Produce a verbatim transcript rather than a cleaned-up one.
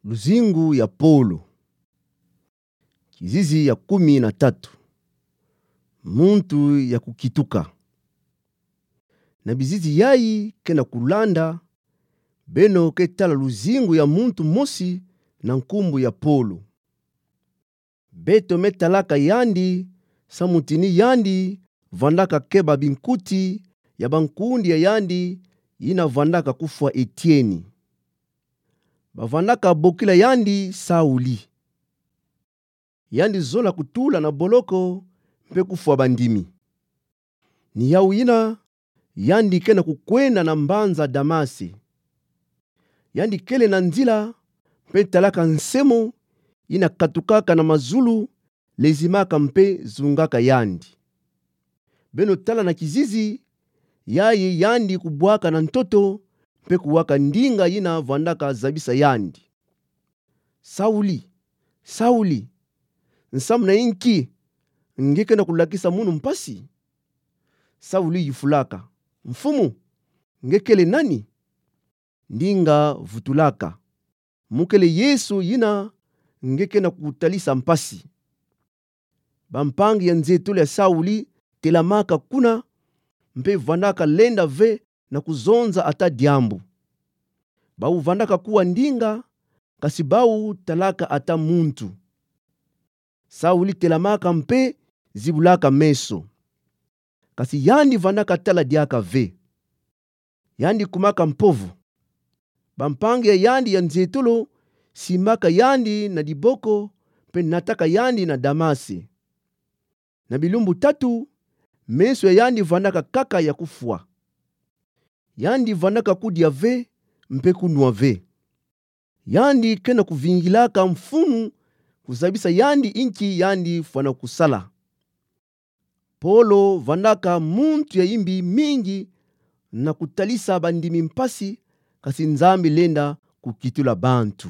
Luzingu ya Polo. Kizizi ya kumi na tatu. Muntu ya kukituka. Na bizizi yayi ke na kulanda, beno ke tala luzingu ya muntu mosi na nkumbu ya Polo. Beto me talaka yandi, samu tini yandi vandaka keba binkuti ya bankundi ya yandi yina vandaka kufwa etieni. Bavandaka bokila yandi Sauli. Yandi zola kutula na boloko mpe kufwa bandimi. Ni yawu yina, yandi ke na kukwenda na mbanza Damasi. Yandi kele na nzila, mpe talaka nsemo yina katukaka na mazulu, lezimaka mpe zungaka yandi. Beno tala na kizizi yayi yandi kubwaka na ntoto, mpe kuwaka ndinga yina vandaka zabisa yandi: Sauli, Sauli, nsamu na inki nge ke na kulakisa munu mpasi? Sauli yufulaka: Mfumu, nge kele nani? Ndinga vutulaka: Mu kele Yesu yina nge ke na kutalisa mpasi. Bampangi ya nzietolo ya Sauli telamaka kuna, mpe vandaka lenda ve na kuzonza ata diambu. Bawu vandaka kuwa ndinga, kasi bawu talaka ata muntu. Sauli telamaka mpe zibulaka meso. Kasi yandi vandaka tala diaka ve. Yandi kumaka mpovo. Bampangi ya yandi ya nzietolo simbaka yandi na diboko, mpe nataka yandi na Damasi. Na bilumbu tatu, meso ya yandi vandaka kaka ya kufwa. Yandi vandaka kudia ve, mpe kunwa ve. Yandi ke na kuvingilaka mfunu kuzabisa yandi inki yandi fwana kusala. Polo vandaka muntu ya imbi mingi na kutalisa bandimi mpasi, kasi Nzambi lenda kukitula bantu.